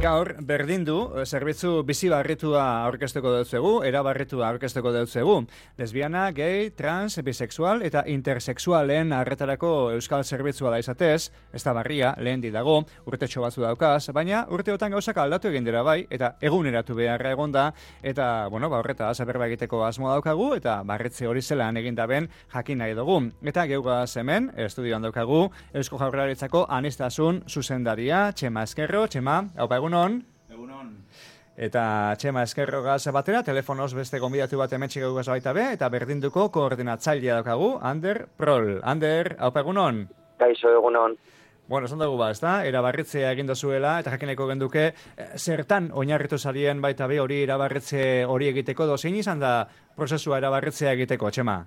Gaur, berdindu, zerbitzu bizi barritua aurkezteko dutzegu, erabarritua aurkezteko dutzegu. Lesbiana, gay, trans, bisexual eta intersexualen arretarako euskal zerbitzua da izatez, ez da barria, lehen dago, urtetxo batzu daukaz, baina urteotan gauzak aldatu egin dira bai, eta eguneratu beharra egonda, eta, horretaz, berba egiteko asmo daukagu, eta barretze hori zelan egin daben jakin nahi dugu. Eta geugaz hemen, estudioan daukagu, Eusko Jaurlaritzako aniztasun zuzendaria, Txema Ezkerro, Txema, haupa egunon. Egunon. Eta Txema Ezkerro gaz batera, telefonoz beste gonbidatu bat hemen txik egugaz baita be, eta berdinduko koordinatzailea daukagu, Ander Prol. Ander, haupa egunon. Kaixo, egunon. Bueno, esan dugu ezta? Erabarritzea egin dozuela, eta jakineko genduke, zertan oinarritu zarien baita be hori erabarritze hori egiteko, zein izan da prozesua erabarritzea egiteko, Txema?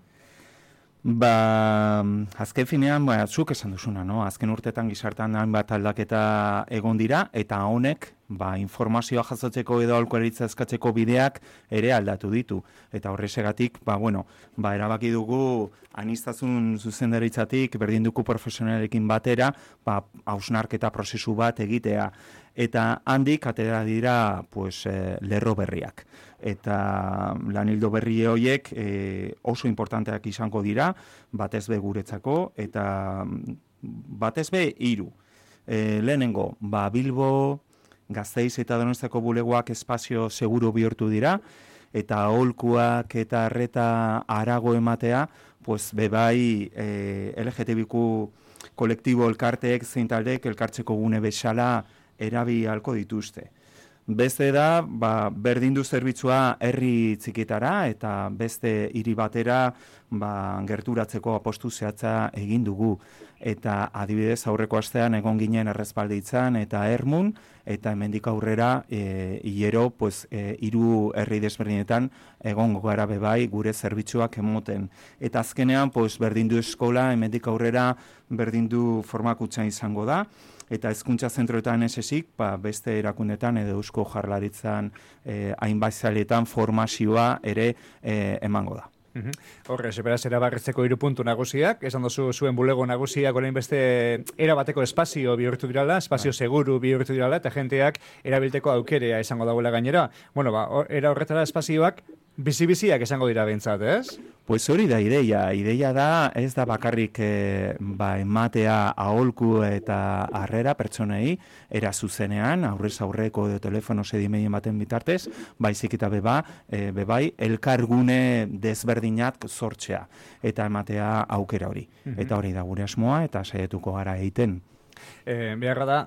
Azken finean, zuk esan duzuna, no? Azken urtetan gizartan hainbat aldaketa egon dira, eta honek, informazioa jasotzeko edo aholkularitza eskatzeko bideak ere aldatu ditu. Eta horrexegatik, erabaki dugu aniztasun zuzendaritzatik berdinduko profesionalekin batera, hausnarketa prozesu bat egitea. Eta handik atera dira lerro berriak. Eta lanildo berri horiek oso importanteak izango dira, batez be guretzako, eta batez be 3. Lehenengo, Bilbo, Gasteiz eta Donostiako bulegoak espazio seguru bihurtu dira, eta aholkuak eta arreta arago ematea, bebai LGTBIQ kolektibo elkarteek zein taldeek elkartzeko gune bezala erabi halko dituzte. Beste da, berdindu zerbitzua herri txikitara eta beste hiri batera gerturatzeko apostu zehatza egin dugu. Eta adibidez aurreko astean egon ginen Errespalditzan eta Ermun, eta hemendik aurrera hilero 3 herri desberdinetan egongo gara bebai gure zerbitzuak emoten. Eta azkenean berdindu eskola hemendik aurrera berdindu formakuntza izango da. Eta hezkuntza zentroetan ez ezik, beste erakundetan edo Eusko Jaurlaritzan hainbat sailetan formazioa ere emango da. Horrez, beraz, erabarritzeko 3 puntu nagusiak, esan dozu zuen bulego nagusiak orain beste erabateko espazio bihurtu dirala, espazio seguru bihurtu dirala, eta jenteak erabilteko aukerea izango dagoela gainera. Era horretara espazioak bizi-biziak esango dira behintzat, ez? Hori da ideia da ez da bakarrik ematea aholku eta harrera pertsonei era zuzenean, aurrez aurreko edo telefono sedimeien baten bitartez, baizik eta bebai elkargune desberdinak sortzea eta ematea aukera hori. Eta hori da gure asmoa eta saietuko gara egiten. Beharra da,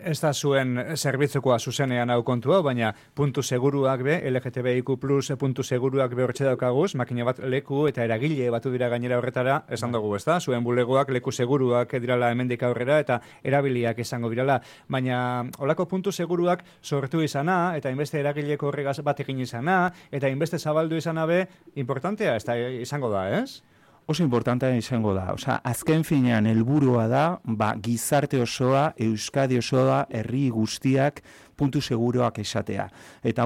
ez da zuen zerbitzukoa zuzenean hau kontua, baina puntu seguruak be, LGTBIQ+, puntu seguruak be hortxe daukaguz, makina bat leku eta eragile batu dira gainera horretara, esan dugu, ez da? Zuen bulegoak leku seguruak dirala hemendik aurrera eta erabiliak izango dirala, baina holako puntu seguruak sortu izana, eta inbeste eragileko horregaz bat egin izana, eta inbeste zabaldu izana be, importantea ez da izango da, ez? Oso importantea izango da. Azken finean helburua da, gizarte osoa, Euskadi osoa, herri guztiak puntu seguruak esatea. Eta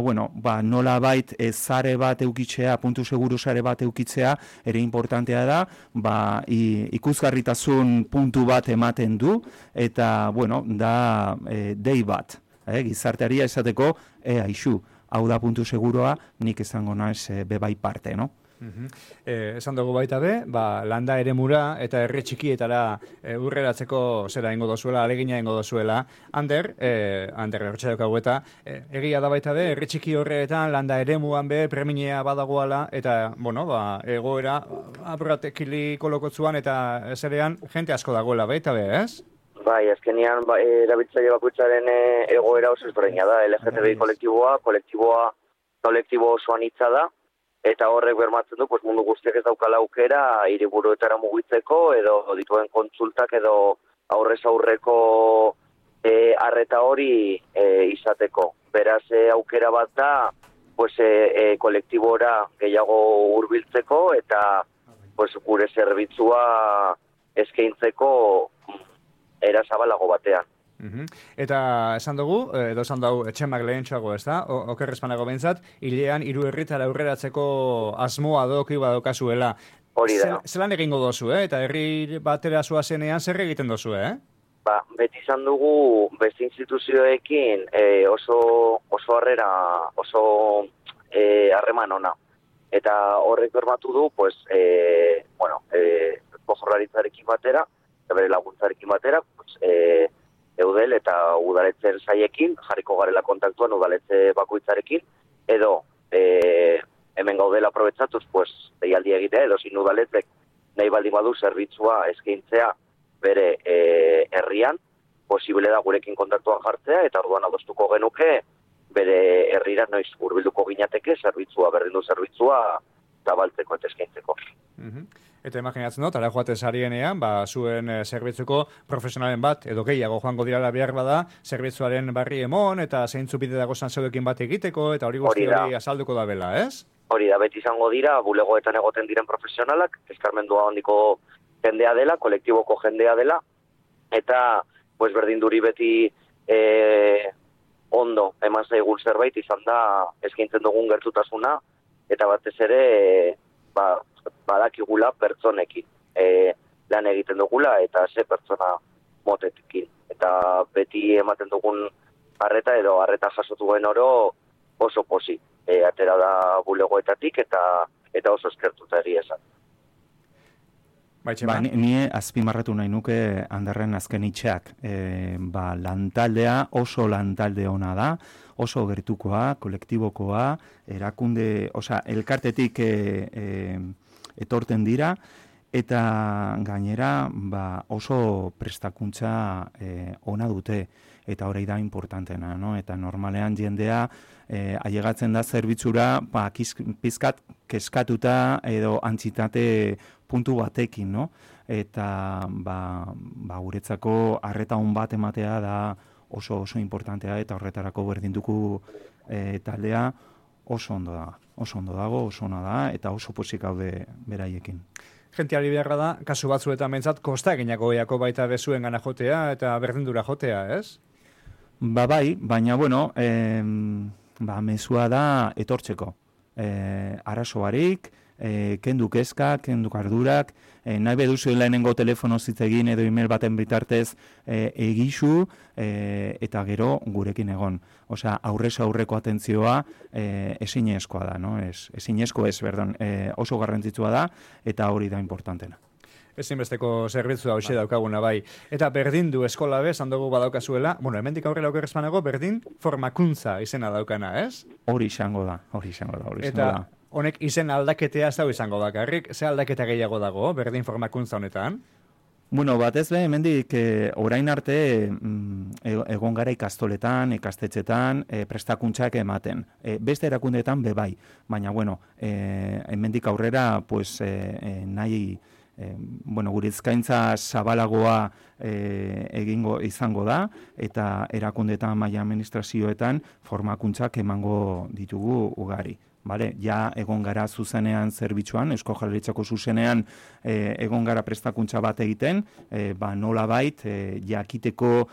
nola bait zare bat eukitzea, puntu seguru zare bat eukitzea, ere importantea da, ikusgarritasun puntu bat ematen du, eta da dei bat. Gizarteari esateko, aixu, hau da puntu seguroa, nik izango naiz bebai parte, no? Esan dugu baita be, landa eremura eta herri txikietara urreratzeko zera ingo dozuela, alegina ingo dozuela. Ander hortxe daukagu eta egia da baita be, herri txiki horretan landa eremuan be, preminea badagoala eta, egoera apuratekili kolokotzuan eta zerean jente asko dagoela baita be, ez? Bai, azkenean erabiltzaile bakoitzaren egoera oso ezberdina da, LGTBI kolektibo oso anitza da, eta horrek bermatzen du, mundu guztiak ez daukala aukera hiriburuetara mugitzeko edo dituen kontsultak edo aurrez aurreko arreta hori izateko. Beraz, aukera bat da, kolektibora gehiago hurbiltzeko eta gure zerbitzua eskaintzeko era zabalago batean. Eta esan dugu, edo esan dugu Txemak lehentxoago, ez da? Okerrezpanago behintzat, hilean 3 herritara aurreratzeko asmoa doki badokazuela. Hori da. Zelan egingo dozu, eta herri batera zoazenean zer egiten dozu, beti izan dugu beste instituzioekin oso harrera, oso harreman ona. Eta horrek bermatu du, pues, Jaurlaritzarekin batera, eta bere laguntzarekin batera, pues, eudel eta udaletxe saiekin, jarriko garela kontaktuan udaletxe bakoitzarekin, edo hemen gaudela aprobetsatuz, pues, deialdi egitea, edo zin udaletzek nahi baldin badu zerbitzua eskaintzea bere herrian, posible da gurekin kontaktuan jartzea, eta orduan adostuko genuke, bere herrira noiz hurbilduko ginateke, berdindu zerbitzua zabaltzeko eta eskaintzeko. Eta imaginatzen dut, ara joate sarienean, zuen zerbitzuko profesionalen bat, edo gehiago joango dirala behar bada, zerbitzuaren barri emon, eta zeintzu bide dago zantzeudekin bat egiteko, eta hori guzti hori azalduko da bela, ez? Hori da, beti izango dira, bulegoetan egoten diren profesionalak, eskarmendua handiko jendea dela, kolektiboko jendea dela, eta pues, berdinduri beti ondo eman zaigun zerbait izan da eskaintzen dugun gertutasuna, eta batez ere badakigula pertsonekin lan egiten dugula eta ze pertsona motetekin. Eta beti ematen dugun arreta edo arreta jasotuen oro oso posi. Atera da bulegoetatik eta oso eskertuta egia esan. Ni azpimarratu nahi nuke Anderren azken hitxeak. Lantaldea oso lantalde ona da, oso gertukoa, kolektibokoa, erakunde, elkartetik etorten dira, eta gainera oso prestakuntza ona dute, eta hori da importantena, no? Eta normalean jendea ailegatzen da zerbitzura pizkat keskatuta edo antzitate puntu batekin, no? Eta guretzako arreta on bat ematea da oso importantea, eta horretarako berdinduko taldea oso ondo dago, oso ona da, eta oso pozik gaude beraiekin. Gentiari beharra da, kasu batzuetan bentsat, kosta eginako goiako baita bezuen gana jotea eta berdindura jotea, ez? Bai, baina, mezua da etortzeko. Arazo barik, kendu kezka, kendu kardurak, nahi beduzu lehenengo telefono zitzegin edo email baten bitartez egizu, eta gero gurekin egon. Aurrez aurreko atentzioa ezinezkoa da, no? Oso garrantzitsua da, eta hori da importantena. Ezinbesteko zerbitzua hoxe daukaguna bai. Eta berdindu eskola bez, handogu badaukazuela, hemendik aurrela okerrezpanago, berdin formakuntza izena daukana, ez? Hori izango da. Eta honek izen aldaketea ez dago izango bakarrik, ze aldaketa gehiago dago, berdin formakuntza honetan? Batez be, hemendik orain arte egon gara ikastoletan, ikastetxetan, prestakuntzak ematen. Beste erakundeetan bebai, baina, hemendik aurrera, nahi, gure eskaintza zabalagoa egingo izango da, eta erakundeetan maila administrazioetan formakuntzak emango ditugu ugari. Ja egon gara zuzenean zerbitzuan, Eusko Jaurlaritzako zuzenean egon gara prestakuntza bat egiten, nola bait, jakiteko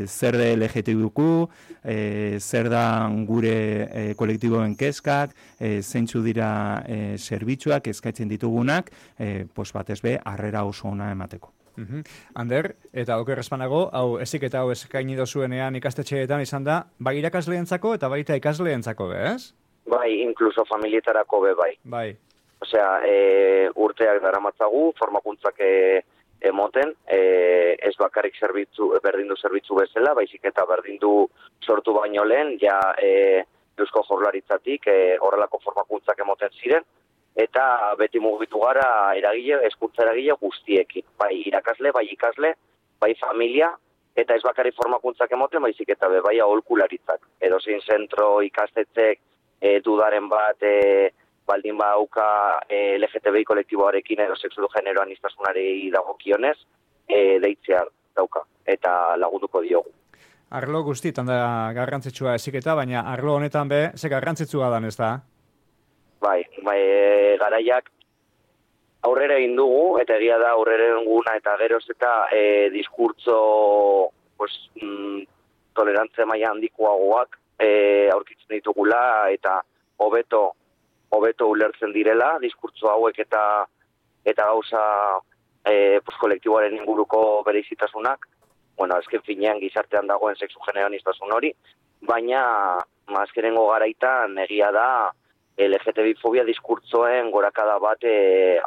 zer da LGTBQ, zer da gure kolektiboen kezkak, zeintzu dira zerbitzuak eskatzen ditugunak, batez be, harrera oso ona emateko. Ander, eta okerrezpanago, hau eziketa hau eskaini dozuenean ikastetxeetan izan da, bai irakasleentzako eta baita ikasleentzako, ez? Bai, inkluso familietarako bai. Bai. Urteak daramatzagu, formakuntzak emoten, ez bakarrik berdindu zerbitzu bezala, baizik eta berdindu sortu baino lehen, Eusko Jaurlaritzatik horrelako formakuntzak emoten ziren, eta beti mugitu gara hezkuntza eragile guztiekin. Bai irakasle, bai ikasle, bai familia, eta ez bakarrik formakuntzak emoten, baizik eta bai aholkularitzak. Edozein zentro ikastetxek dudaren bat baldin bauka LGTBI kolektiboarekin edo sexu du genero aniztasunari dagokionez, deitzea dauka eta lagunduko diogu. Arlo guztietan da garrantzitsua eziketa, baina arlo honetan ze garrantzitsua dan, ez da? Bai, garaiak aurrera egin dugu, eta egia da aurrera eguna eta geroz eta diskurtso tolerantze maila handikoagoak aurkitzen ditugula eta hobeto ulertzen direla diskurtso hauek eta gauza kolektiboaren inguruko bereizitasunak, bueno, azken finean gizartean dagoen sexu genero aniztasun hori, baina azkenengo garaitan egia da LGTB-fobia diskurtzoen gorakada bat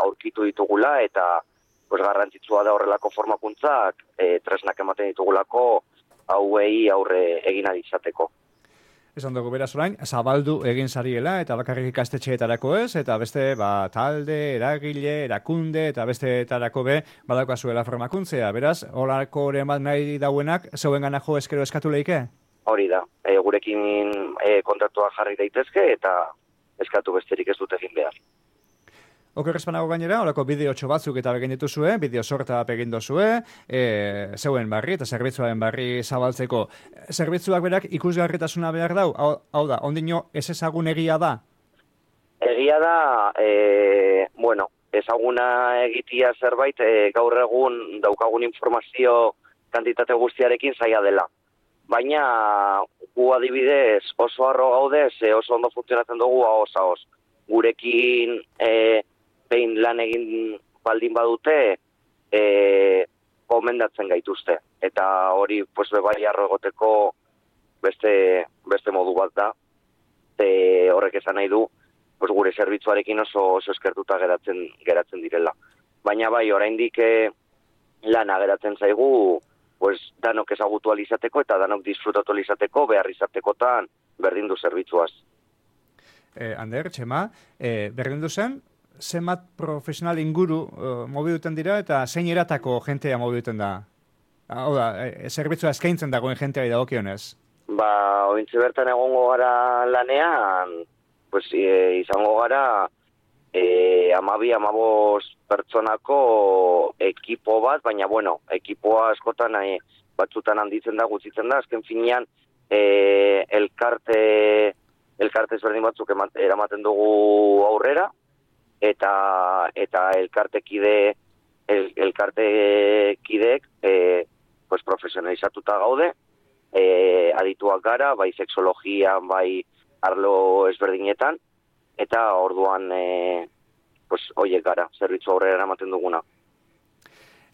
aurkitu ditugula, eta pues, garrantzitsua da horrelako formakuntzak tresnak ematen ditugulako hauei aurre egin izateko. Esan dugu beraz orain, zabaldu egin zariela, eta bakarrik ikastetxeetarako ez, eta beste talde, eragile, erakunde, eta besteetarako badaukazuela formakuntzea. Beraz, horako oren bat nahi dauenak, zeuen gana jo eskero eskatu leike? Hori da, gurekin kontaktua jarri daitezke, eta eskatu besterik ez dute egin behar. Okerrezpanago gainera, horako bideotxo batzuk eta begin dituzue, bideo sorta egin dozue, zeuen barri eta zerbitzuaren barri zabaltzeko. Zerbitzuak berak ikusgarritasuna behar dau, hau da, ondino ez ezagun egia da? Egia da, ezaguna egitia zerbait, gaur egun daukagun informazio kantitate guztiarekin zaila dela. Baina gu adibidez oso harro gaude, oso ondo funtzionatzen dugu ahoz. Gurekin behin lan egin baldin badute, gomendatzen gaituzte. Eta hori, pues, bai harro egoteko beste modu bat da. Horrek esan nahi du, pues, gure zerbitzuarekin oso eskertuta geratzen direla. Baina bai, oraindik lana geratzen zaigu, pues, danok ezagutu alizateko eta danok disfrutatu alizateko, behar izatekotan berdin du zerbitzuaz. Ander, Txema, berdin du zen, zenbat profesional inguru mobiluten dira eta zein eratako jentea mobiluten da? Hau da, zerbitzua eskaintzen dagoen jenteari dagokionez? Ointxe bertan egongo gara lanean, pues, izango gara 12-15 pertsonako ekipo bat, baina, ekipoa askotan batzutan handitzen da, gutxitzen da, azken finean elkarte ezberdin batzuk eramaten dugu aurrera, eta elkartekideek pues profesionalizatuta gaude, adituak gara, bai sexologian, bai arlo ezberdinetan, eta orduan pues hoiek gara, zerbitzu aurrera eramaten duguna.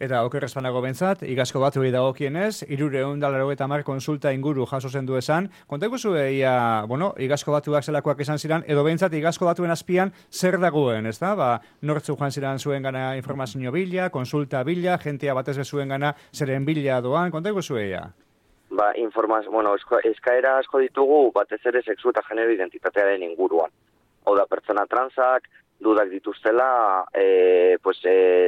Eta okerrezpanago bentzat, igazko batuei dagokienez, 380 konsulta inguru jaso zen du esan. Kontako zueia, igazko batuak zelakoak esan ziren, edo bentzat igazko batuen azpian zer dagoen, ez da? Nortzu joan ziren zuen gana informazio bila, konsulta bila, jentea batez bezuen gana zeren bila doan, kontako zueia? Eskaera asko ditugu batez ere sexu eta genero identitatearen inguruan. Hau da, pertsona transak, dudak dituztela,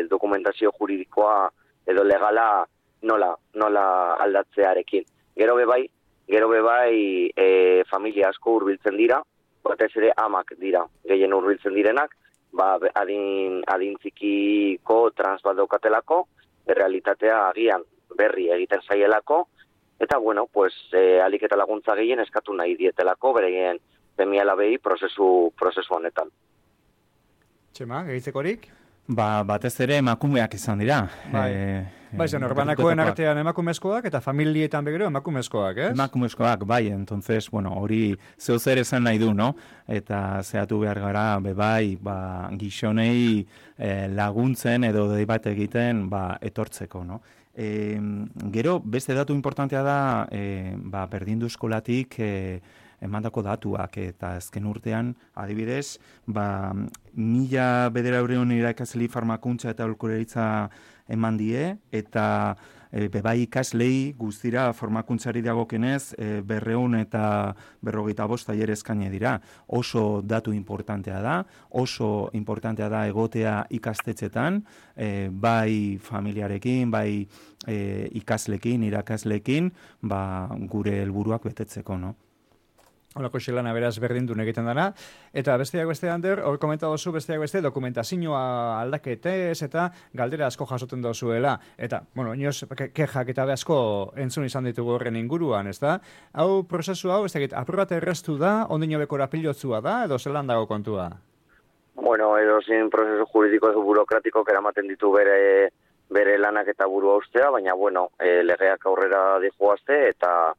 dokumentazio juridikoa edo legala nola aldatzearekin. Gero bebai familia asko hurbiltzen dira, batez ere amak dira, gehien hurbiltzen direnak, adin txikiko trans bat daukatelako, realitatea agian berri egiten zaielako, eta alik eta laguntza gehien eskatu nahi dietelako, bereien semialabei prozesu honetan. Txema, gehitzekorik? Batez ere emakumeak izan dira. Norbanakoen artean emakumezkoak eta familietan begero emakumezkoak, ez? Emakumezkoak, bai, entonces, hori zeu zer esan nahi du, no? Eta zehatu behar gara, gizonei laguntzen edo dei bat egiten, etortzeko, no? Gero, beste datu importantea da, berdindu eskolatik emandako datuak, eta azken urtean, adibidez, 1.900 irakasle farmakuntza eta aholkularitza eman die, eta bebai ikaslei guztira formakuntzari dagokenez 255 tailer eskaini dira. Oso datu importantea da, egotea ikastetxetan, bai familiarekin, bai ikaslekin, irakaslekin, gure helburuak betetzeko, no? Olako xelana beraz berdindun egiten dana. Eta besteak beste, Ander, hor komenta dozu besteak beste dokumentazioa aldaketez eta galdera asko jasoten dozuela. Eta, inoz, kexak eta asko entzun izan ditugu horren inguruan, ez da? Hau prozesu hau, ez dakit, apur bat erreztu da, ondino bekora pilotzua da, edo zelan dago kontua? Edo zin prozesu juridiko edo burokratiko eramaten ditu bere lanak eta burua ustea, baina, legeak aurrera dijoazte, eta,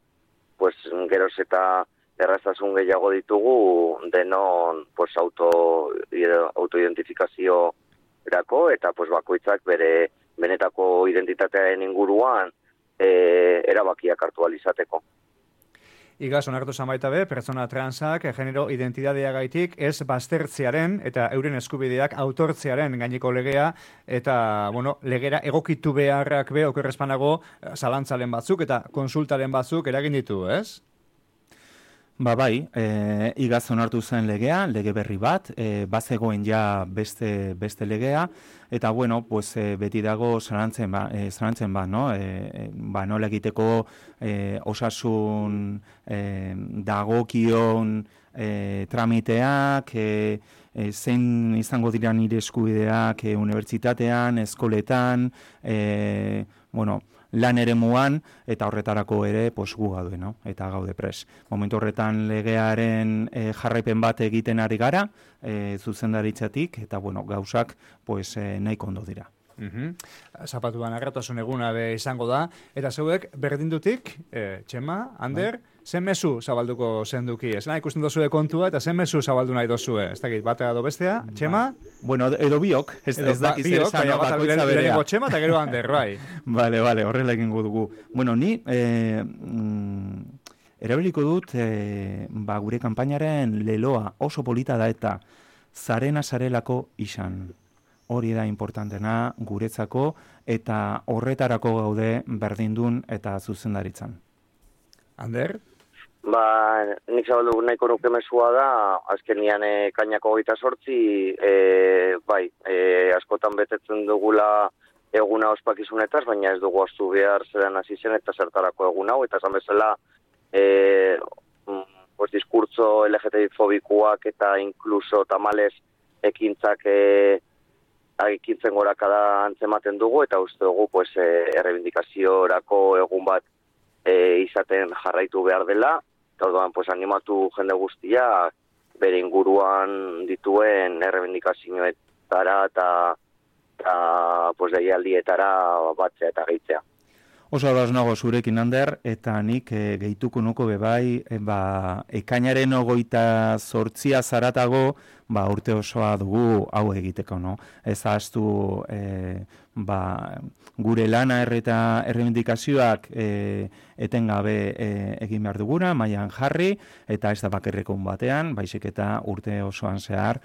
geroz eta erraztasun gehiago ditugu denon autoidentifikazio erako, eta bakoitzak bere benetako identitatearen inguruan erabakiak hartu ahal izateko. Igaz, onartu zan baita be, pertsona transak genero identidadea gaitik ez baztertzearen eta euren eskubideak autortzearen gaineko legea eta, bueno, legera egokitu beharrak be, okerrezpanago, zalantzalen batzuk eta konsultaren batzuk eragin ditu, ez? Bai, igaz onartu zen legea, lege berri bat, bazegoen ja beste legea, eta bueno, pues, beti dago zalantzen ba, no? Nola egiteko osasun dagokion tramiteak, zein izango dira nire eskubideak unibertsitatean, eskoletan, lan eremuan, eta horretarako ere gu gaude, no? Eta gaude pres. Momentu horretan legearen jarraipen bat egiten ari gara, zuzendaritzatik, eta gauzak nahiko ondo dira. Zapatuan agarratasun eguna be izango da, eta zeuek berdindutik, Txema, Ander, zen mezu zabalduko zenduki, ez nahi ikusten dozue kontua, eta zen mezu zabaldu nahi dozue, ez dakit, batea edo bestea, Txema? Bueno, edo biok, ez dakiz ere zan, bakoitza berea. Lehenengo Txema eta gero Ander, bai. Bale, horrela egingo dugu. Bueno, ni erabiliko dut gure kanpainaren leloa oso polita da eta zarena zarelako izan. Hori da importantena guretzako eta horretarako gaude berdindun eta zuzendaritzan. Ander? Nik zabaldu nahiko nuke mesua da, azkenian kainako 28, askotan betetzen dugula eguna ospakizunetaz, baina ez dugu astu behar zelan hasi zen eta zertarako egun hau, eta esan bezala diskurtso LGTBI-fobikoak eta inkluso tamales ekintzak ekintzen gorakada antzematen dugu, eta uste dugu errebindikaziorako egun bat izaten jarraitu behar dela, eta orduan animatu jende guztia bere inguruan dituen errebindikazioetara eta deialdietara batzea eta gehitzea. Oso ados nago zurekin, Ander, eta nik gehituko nuko bebai, ekainaren 28 zaratago, urte osoa dugu hau egiteko, no? Ez ahaztu gure lana eta errebindikazioak etengabe egin behar duguna, mailan jarri, eta ez da bakerrekon batean, baizik eta urte osoan zehar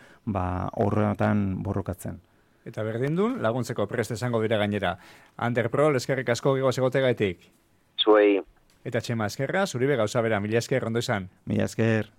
horretan borrokatzen. Eta berdindun, laguntzeko prest esango dira gainera. Ander Prol, eskerrik asko gigoz egotegaitik. Zuei. Eta Txema eskerra, zuribe gauza bera, mila esker, ondo izan. Mila esker.